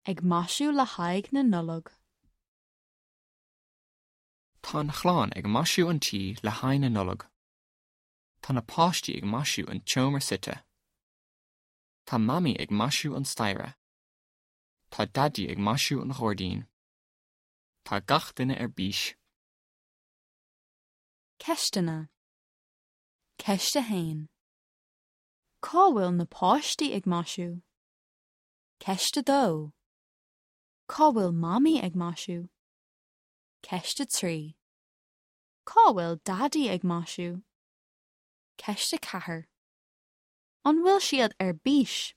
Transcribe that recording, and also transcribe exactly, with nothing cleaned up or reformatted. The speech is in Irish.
Ag maisiú le haghaidh na Nollag. Tá an chlann ag maisiú an tí le haghaidh na Nollag. Tá na páistí ag maisiú an tseomra suite. Tá Mamaí ag maisiú an staighre. Tá Daidí ag maisiú an ghairdín. Tá gach duine ar bís. Ceisteanna. Ceist a haon. Cá bhfuil na páistí ag maisiú? Ceist a dó. Cá bhfuil Mamaí ag maisiú? Ceist a trí. Cá bhfuil Daidí ag maisiú? Ceist a ceathair. An bhfuil siad ar bís?